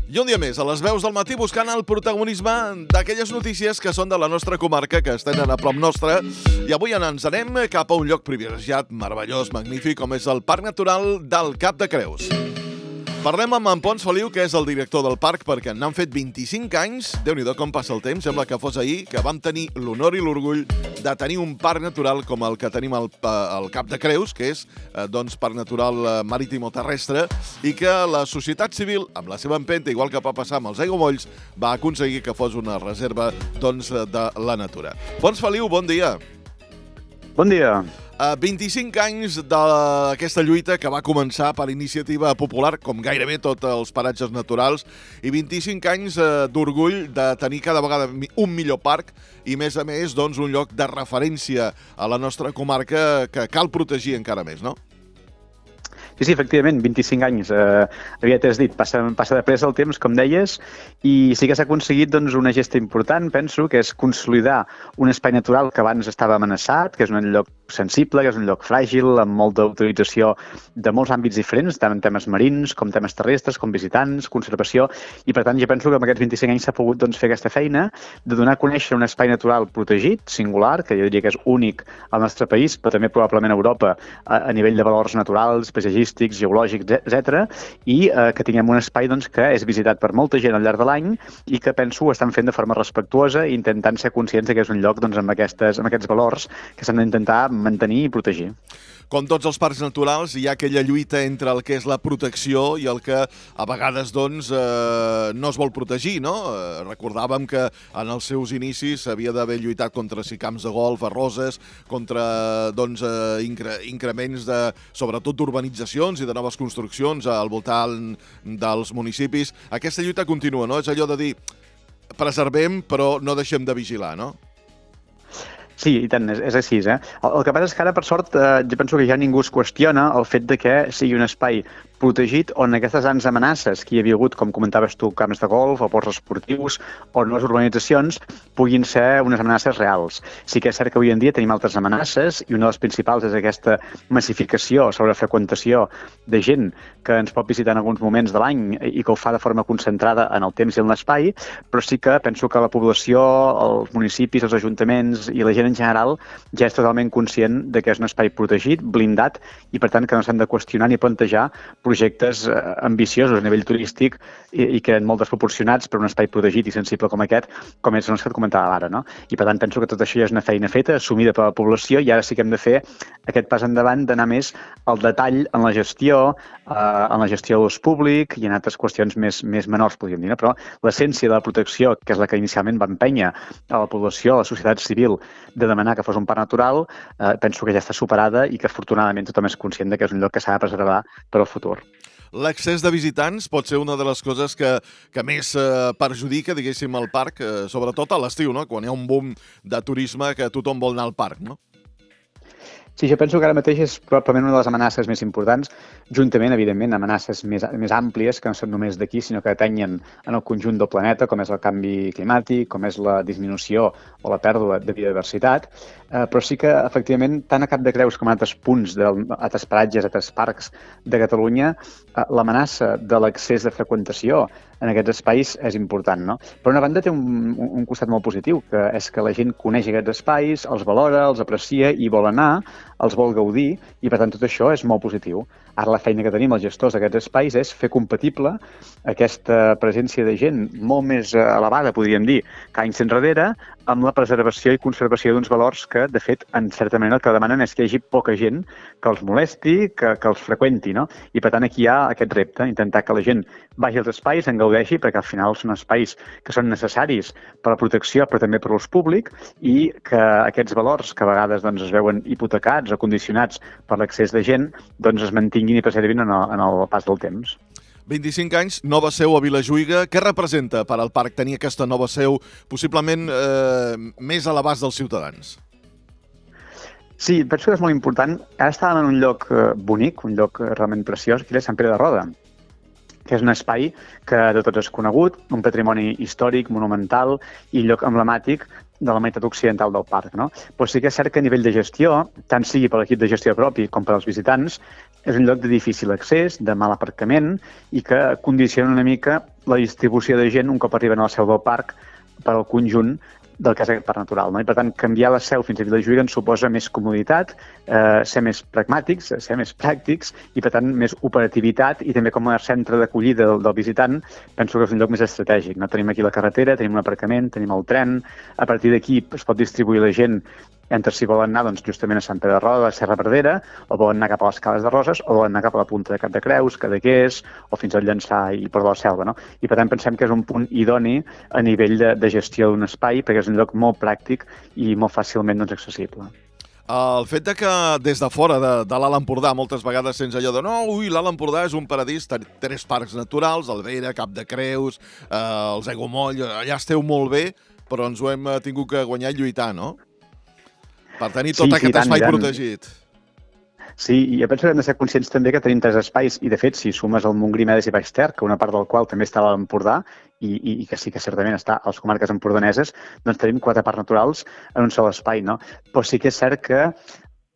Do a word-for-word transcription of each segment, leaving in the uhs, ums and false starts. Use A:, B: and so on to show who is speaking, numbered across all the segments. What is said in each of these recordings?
A: I un dia més, a les veus del matí, buscant el protagonisme d'aquelles notícies que són de la nostra comarca, que estan a prop nostre. I avui ens anem cap a un lloc privilegiat, meravellós, magnífic, com és el Parc Natural del Cap de Creus. Parlem amb en Pons Feliu, que és el director del parc, perquè n'han fet vint-i-cinc anys. Déu-n'hi-do com passa el temps, sembla que fos ahir, que vam tenir l'honor i l'orgull de tenir un parc natural com el que tenim al, al Cap de Creus, que és eh, doncs, parc natural marítim o terrestre, i que la societat civil, amb la seva empenta, igual que va passar amb els aiguamolls, va aconseguir que fos una reserva doncs, de la natura. Pons Feliu, bon dia.
B: Bon dia.
A: Uh, vint-i-cinc anys d'aquesta lluita que va començar per iniciativa popular, com gairebé tots els paratges naturals, i vint-i-cinc anys uh, d'orgull de tenir cada vegada un millor parc i, més a més, doncs, un lloc de referència a la nostra comarca que cal protegir encara més, no?
B: Sí, sí, efectivament, vint-i-cinc anys. Eh, aviat has dit, passa, passa de pressa el temps, com deies, i sí que s'ha aconseguit doncs, una gesta important, penso, que és consolidar un espai natural que abans estava amenaçat, que és un lloc sensible, que és un lloc fràgil, amb molta utilització de molts àmbits diferents, tant en temes marins com temes terrestres, com visitants, conservació, i per tant jo penso que amb aquests vint-i-cinc anys s'ha pogut doncs, fer aquesta feina de donar a conèixer un espai natural protegit, singular, que jo diria que és únic al nostre país, però també probablement a Europa, a, a nivell de valors naturals, paisatgístics, geològics, etcètera, i eh, que tinguem un espai doncs, que és visitat per molta gent al llarg de l'any i que penso ho estan fent de forma respectuosa i intentant ser conscients que és un lloc doncs, amb, aquestes, amb aquests valors que s'han d'intentar mantenir i protegir.
A: Com tots els parcs naturals, hi ha aquella lluita entre el que és la protecció i el que a vegades doncs, eh, no es vol protegir, no? Eh, recordàvem que en els seus inicis s'havia d'haver lluitat contra si camps de golf, arroses, contra doncs, eh, incre increments de, sobretot d'urbanitzacions i de noves construccions al voltant dels municipis. Aquesta lluita continua, no? És allò de dir, preservem però no deixem de vigilar, no?
B: Sí, i tant, és, és així. Eh? El, el que passa és que ara, per sort, eh, jo penso que ja ningú es qüestiona el fet de que sigui un espai protegit on aquestes grans amenaces que hi havia hagut, com comentaves tu, camps de golf o ports esportius o noves urbanitzacions, puguin ser unes amenaces reals. Sí que és cert que avui en dia tenim altres amenaces i una de les principals és aquesta massificació sobre freqüentació de gent que ens pot visitar en alguns moments de l'any i que ho fa de forma concentrada en el temps i en l'espai, però sí que penso que la població, els municipis, els ajuntaments i la gent en general ja és totalment conscient de que és un espai protegit, blindat, i per tant que no s'han de qüestionar ni plantejar projectes eh, ambiciosos a nivell turístic i, i que eren molt desproporcionats per un espai protegit i sensible com aquest, com és el que et comentava ara, no? I per tant penso que tot això ja és una feina feta, assumida per la població, i ara sí que hem de fer aquest pas endavant d'anar més al detall en la gestió, eh, en la gestió de l'ús públic i en altres qüestions més, més menors, podríem dir, no? Però l'essència de la protecció, que és la que inicialment va empènyer a la població, a la societat civil, de demanar que fos un parc natural, eh, penso que ja està superada i que afortunadament tothom és conscient que és un lloc que s'ha de preservar per al futur.
A: L'accés de visitants pot ser una de les coses que, que més eh, perjudica, diguéssim, el parc, eh, sobretot a l'estiu, no? Quan hi ha un boom de turisme que tothom vol anar al parc, no?
B: Sí, jo penso que ara mateix és probablement una de les amenaces més importants, juntament, evidentment, amenaces més, més àmplies, que no són només d'aquí, sinó que atenyen en el conjunt del planeta, com és el canvi climàtic, com és la disminució o la pèrdua de biodiversitat, eh, però sí que, efectivament, tant a Cap de Creus com a altres punts, d'altres paratges, altres parcs de Catalunya, eh, l'amenaça de l'accés de freqüentació en aquests espais és important, no? Per una banda té un, un costat molt positiu, que és que la gent coneix aquests espais, els valora, els aprecia i vol anar, els vol gaudir, i per tant tot això és molt positiu. Ara la feina que tenim els gestors d'aquests espais és fer compatible aquesta presència de gent molt més elevada, podríem dir, que anys enrere, amb la preservació i conservació d'uns valors que, de fet, en certa manera el que demanen és que hi hagi poca gent que els molesti, que, que els freqüenti, no? I per tant aquí hi ha aquest repte, intentar que la gent vagi als espais, en gaudeixi, perquè al final són espais que són necessaris per a la protecció, però també per l'ús públic, i que aquests valors que a vegades doncs, es veuen hipotecats o condicionats per l'accés de gent, doncs es mantinguin i preservin en el, en el pas del temps.
A: vint-i-cinc anys, nova seu a Vilajuïga. Què representa per al parc tenir aquesta nova seu possiblement eh, més a l'abast dels ciutadans?
B: Sí, penso que és molt important. Ara estàvem en un lloc eh, bonic, un lloc realment preciós, que és Sant Pere de Roda, que és un espai que de tots és conegut, un patrimoni històric, monumental i lloc emblemàtic de la meitat occidental del parc, no? Però sí que és cert que a nivell de gestió, tant sigui per l'equip de gestió propi com per als visitants, és un lloc de difícil accés, de mal aparcament i que condiciona una mica la distribució de gent un cop arriben a la seu del parc per al conjunt del que és aquest parc natural. No? I, per tant, canviar la seu fins a Vilajuïga ens suposa més comoditat, eh, ser més pragmàtics, ser més pràctics i, per tant, més operativitat i també com a centre d'acollida del, del visitant penso que és un lloc més estratègic. No? Tenim aquí la carretera, tenim un aparcament, tenim el tren, a partir d'aquí es pot distribuir la gent entre si volen anar doncs, justament a Sant Pere de Roda, a Serra Verdera, o volen anar cap a les Cales de Roses, o volen anar cap a la punta de Cap de Creus, Cadaqués, o fins al Llançà i Port de la Selva. No? I per tant pensem que és un punt idoni a nivell de, de gestió d'un espai, perquè és un lloc molt pràctic i molt fàcilment doncs, accessible.
A: El fet de que des de fora de, de l'Alt Empordà moltes vegades sents allò de no, ui, l'Alt Empordà és un paradís, tres parcs naturals, Alvera, Cap de Creus, eh, els Aiguamoll, allà esteu molt bé, però ens ho hem tingut que guanyar i lluitar, no? Per tenir tot
B: sí,
A: aquest
B: sí, tant,
A: espai
B: tant.
A: protegit.
B: Sí, i jo penso que hem de ser conscients també que tenim tres espais, i de fet, si sumes el Montgrí, Medes i Baix Ter, que una part del qual també està a l'Empordà, i, i, i que sí que certament està a les comarques empordaneses, doncs tenim quatre parcs naturals en un sol espai, no? Però sí que és cert que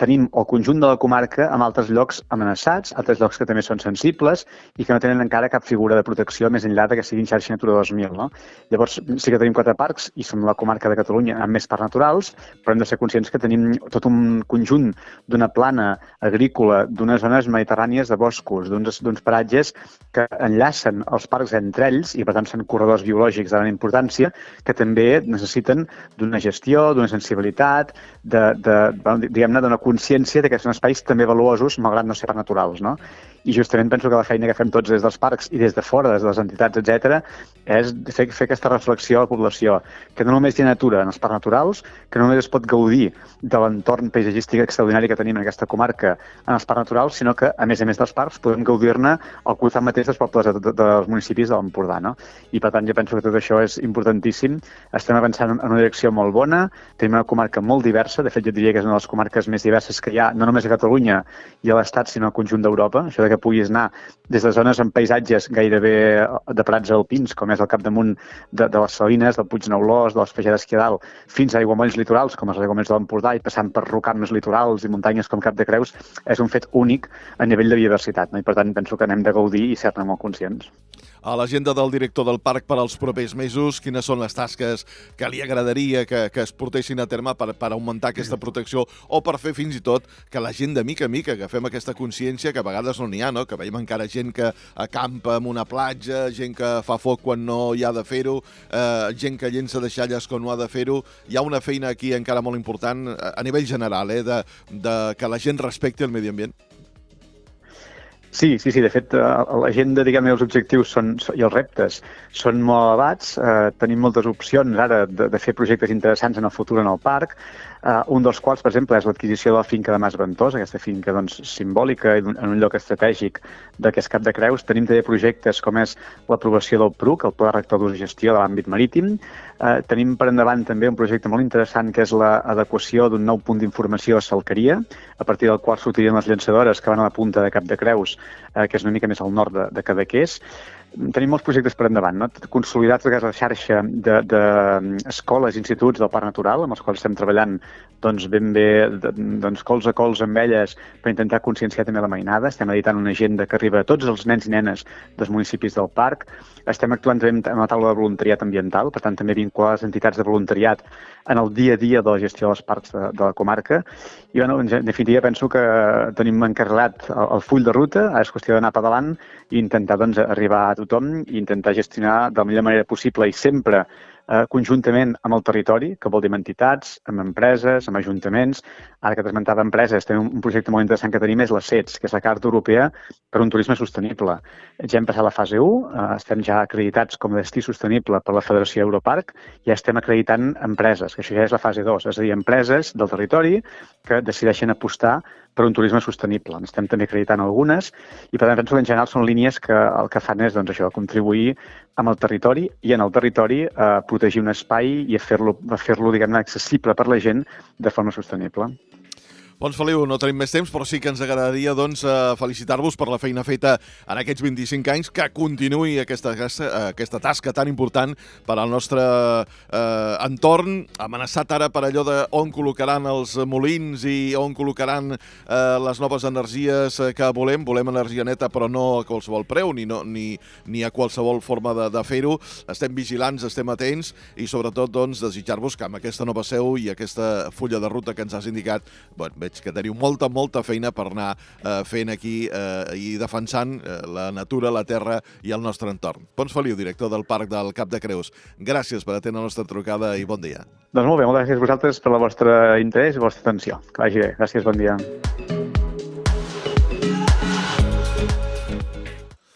B: tenim el conjunt de la comarca en altres llocs amenaçats, altres llocs que també són sensibles i que no tenen encara cap figura de protecció més enllà que siguin xarxa Natura dos mil. No? Llavors, sí que tenim quatre parcs i som la comarca de Catalunya amb més parcs naturals, però hem de ser conscients que tenim tot un conjunt d'una plana agrícola, d'unes zones mediterrànies de boscos, d'uns paratges que enllacen els parcs entre ells i, per tant, són corredors biològics de gran importància que també necessiten d'una gestió, d'una sensibilitat, de, de, diguem-ne, d'una consciència que són espais també valuosos, malgrat no ser parcs naturals, no? I justament penso que la feina que fem tots des dels parcs i des de fora, des de les entitats, etcètera, és fer, fer aquesta reflexió a la població, que no només hi ha natura en els parcs naturals, que no només es pot gaudir de l'entorn paisatgístic extraordinari que tenim en aquesta comarca en els parcs naturals, sinó que, a més a més dels parcs, podem gaudir-ne al costat mateix dels pobles de, de, dels municipis de l'Empordà, no? I, per tant, jo penso que tot això és importantíssim. Estem avançant en una direcció molt bona, tenim una comarca molt diversa, de fet, jo diria que és una de les comarques més diverses que hi ha, no només a Catalunya i a l'Estat, sinó al conjunt d'Europa. Això de que puguis anar des de zones amb paisatges gairebé de prats alpins, com és el capdamunt de, de les Salines, del Puig Neulós, de les Fagedes que hi ha dalt, fins a aiguamolls litorals, com els aiguamolls de l'Empordà, i passant per rocams litorals i muntanyes com Cap de Creus, és un fet únic a nivell de biodiversitat, no? I per tant penso que n'hem de gaudir i ser-ne molt conscients.
A: A l'agenda del director del parc per als propers mesos, quines són les tasques que li agradaria que, que es portessin a terme per, per augmentar aquesta protecció o per fer fins i tot que la gent de mica a mica agafem aquesta consciència que a vegades no n'hi ha, no? Que veiem encara gent que acampa en una platja, gent que fa foc quan no hi ha de fer-ho, eh, gent que llença deixalles quan no ha de fer-ho. Hi ha una feina aquí encara molt important a nivell general, eh, de, de que la gent respecti el medi ambient.
B: Sí, sí, sí. De fet, l'agenda, diguem-ne, els objectius són, i els reptes són molt elevats. Eh, tenim moltes opcions ara de, de fer projectes interessants en el futur en el parc. Eh, un dels quals, per exemple, és l'adquisició de la finca de Mas Ventós, aquesta finca doncs, simbòlica en un lloc estratègic de que és Cap de Creus. Tenim també projectes com és l'aprovació del P R U C, el Pla Rector d'Ús i Gestió de l'àmbit marítim. Eh, tenim per endavant també un projecte molt interessant que és l'adequació d'un nou punt d'informació a Salqueria, a partir del qual sortirien les llançadores que van a la punta de Cap de Creus, eh, que és una mica més al nord de, de Cadaqués. Tenim molts projectes per endavant, no? Consolidats la xarxa d'escoles i instituts del Parc Natural, amb els quals estem treballant doncs, ben bé de, doncs, cols a cols amb elles per intentar conscienciar també la mainada. Estem editant una agenda que arriba a tots els nens i nenes dels municipis del parc. Estem actuant també en la taula de voluntariat ambiental, per tant també vincular les entitats de voluntariat en el dia a dia de la gestió dels parcs de, de la comarca. I bueno, en definitiva penso que tenim encarregat el, el full de ruta, ara és qüestió d'anar pedalant i intentar doncs, arribar a tothom i intentar gestionar de la millor manera possible i sempre eh, conjuntament amb el territori, que vol dir amb entitats, amb empreses, amb ajuntaments. Ara que t'esmentava empreses, tenim un projecte molt interessant que tenim és la C E T S, que és la Carta Europea per un turisme sostenible. Ja hem passat la fase u, eh, estem ja acreditats com a destí sostenible per la Federació Europarc i ja estem acreditant empreses, que això ja és la fase dos, és a dir, empreses del territori que decideixen apostar per un turisme sostenible. Estem també acreditant algunes i, per tant, penso que en general són línies que el que fan és doncs, això, contribuir amb el territori i en el territori a protegir un espai i a fer-lo, a fer-lo diguem-ne, accessible per la gent de forma sostenible.
A: Pons Feliu, no tenim més temps, però sí que ens agradaria doncs, felicitar-vos per la feina feta en aquests vint-i-cinc anys, que continuï aquesta, aquesta, aquesta tasca tan important per al nostre eh, entorn, amenaçat ara per allò de on col·locaran els molins i on col·locaran eh, les noves energies que volem. Volem energia neta, però no a qualsevol preu, ni, no, ni, ni a qualsevol forma de, de fer-ho. Estem vigilants, estem atents i sobretot doncs, desitjar-vos que amb aquesta nova seu i aquesta fulla de ruta que ens has indicat, bueno, veig que teniu molta, molta feina per anar eh, fent aquí eh, i defensant eh, la natura, la terra i el nostre entorn. Pons Feliu, director del Parc del Cap de Creus. Gràcies per atendre la nostra trucada i bon dia.
B: Doncs molt bé, moltes gràcies a vosaltres per el vostre interès i la vostra atenció. Que vagi bé. Gràcies, bon dia.